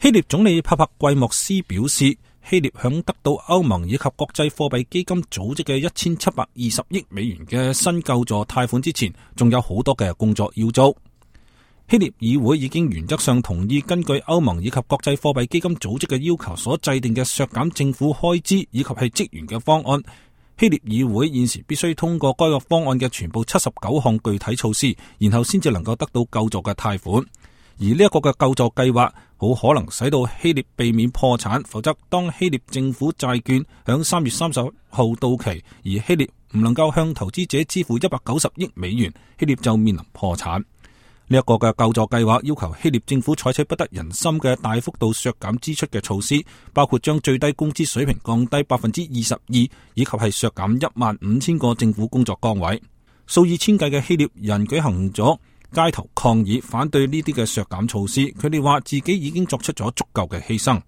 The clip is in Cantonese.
希臘總理帕帕季莫斯表示，希臘響得到歐盟以及國際貨幣基金組織嘅1720億美元嘅新救助貸款之前，仲有好多嘅工作要做。希臘議會已經原則上同意根據歐盟以及國際貨幣基金組織嘅要求所制定嘅削減政府開支以及係職員嘅方案。希臘議會現時必須通過該個方案嘅全部79項具體措施，然後先至能夠得到救助嘅貸款。而呢一個嘅救助計劃好可能使到希臘避免破產，否則當希臘政府債券響3月30號到期，而希臘唔能夠向投資者支付190億美元，希臘就面臨破產。呢一個嘅救助計劃要求希臘政府採取不得人心嘅大幅度削減支出嘅措施，包括將最低工資水平降低22%，以及係削減15000個政府工作崗位。數以千計嘅希臘人舉行咗街頭抗議，反對呢啲嘅削減措施。佢哋話自己已經作出咗足夠嘅犧牲。